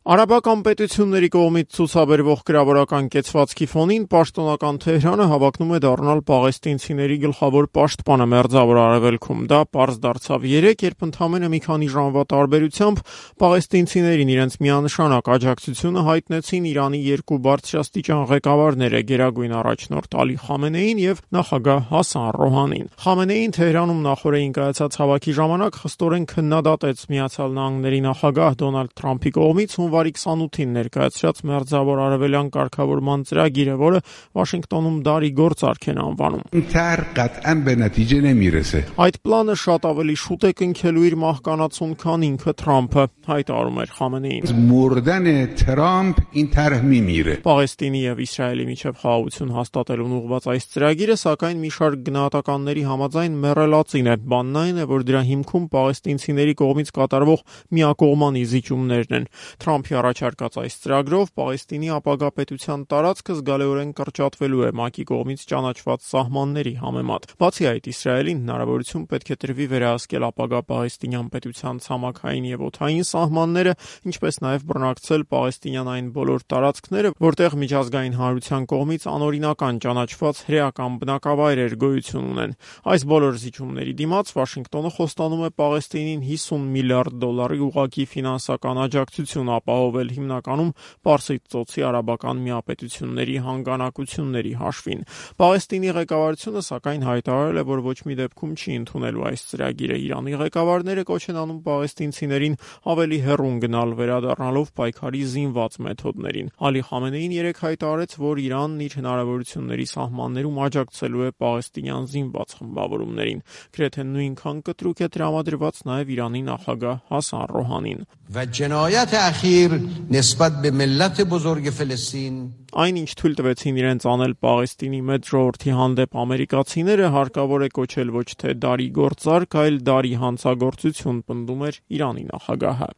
Արաբական պետությունների կողմից ցուցաբերվող գրավորական կեցվածքի ֆոնին պաշտոնական Թեհրանը հավակնում է դառնալ պաղեստինցիների գլխավոր պաշտպանը Մերձավոր Արևելքում։ Դա պարզ դարձավ երեկ, երբ ընդամենը մի քանի ժամվա տարբերությամբ պաղեստինցիներին իրենց միանշանակ աջակցությունը հայտնեցին Իրանի երկու բարձրաստիճան ղեկավարները՝ գերագույն առաջնորդ Ալի Խամենեին եւ նախագահ Հասան Ռոհանին։ Խամենեին Թեհրանում նախորդին կայացած հավաքի ժամանակ խստորեն քննադատեց Միացյալ Նահանգների նախագահ Դոնալդ Թրամփի կողմից հունվարի 28-ին ներկայացրած Մերձավոր Արևելյան կարգավորման ծրագիրը, որը Վաշինգտոնում դարի գործարք են անվանում։ Այդ պլանը շատ ավելի շուտ է կնքելու իր մահկանացուն, քան ինքը Թրամփը, հայտարարում էր Խամենեին։ Պաղեստինի եւ Իսրայելի միջև խաղաղություն հաստատելուն ուղղված այս ծրագիրը, սակայն մի շարք գնահատականների համաձայն մեռելածին է։ Բանն այն է, որ դրա հիմքում պաղեստինցիների կողմից կատարվող միակողմանի զիջումներն են։ Թրամփի առաջարկած այս ծրագրով Պաղեստինի ապագա պետության տարածքը զգալիորեն կրճատվելու է ՄԱԿ-ի կողմից ճանաչված սահմանների համեմատ։ Բացի այդ, Իսրայելին հնարավորություն պետք է տրվի վերահսկել ապագա պաղեստինյան պետության ցամաքային եւ օդային սահմանները, ինչպես նաեւ բռնակցել պաղեստինյան այն բոլոր տարածքները, որտեղ միջազգային հանրության կողմից անօրինական ճանաչված հրեական բնակավայրեր գոյություն ունեն։ Այս բոլոր զիջումների դիմաց Վաշինգտոնը խոստանում է Պաղեստինին $50 միլիարդ ուղղակի ֆինանսական աջակցություն ապահովել հիմնականում Պարսից ծոցի արաբական միապետությունների հանգանակությունների հաշվին։ Պաղեստինի ղեկավարությունը սակայն հայտարարել է, որ ոչ մի դեպքում չի ընդունելու այս ծրագիրը։ Իրանի ղեկավարները կոչ են անում պաղեստինցիներին ավելի հեռուն գնալ, վերադառնալով պայքարի զինված մեթոդներին։ Ալի Խամենեին երեկ հայտարարեց, որ Իրանն իր հնարավորությունների սահմաններում աջակցելու է պաղեստինյան զինված խմբավորումներին։ Գրեթե նույնքան կտրուկ է տրամադրված նաև Իրանի նախագահ Հասան Ռոհանին։ Այն, ինչ թույլ տվեցին իրենց անել Պաղեստինի մեծ ժողովրդի հանդեպ ամերիկացիները, հարկավոր է կոչել ոչ թե դարի գործարք, այլ դարի հանցագործություն, պնդում էր Իրանի նախագահը։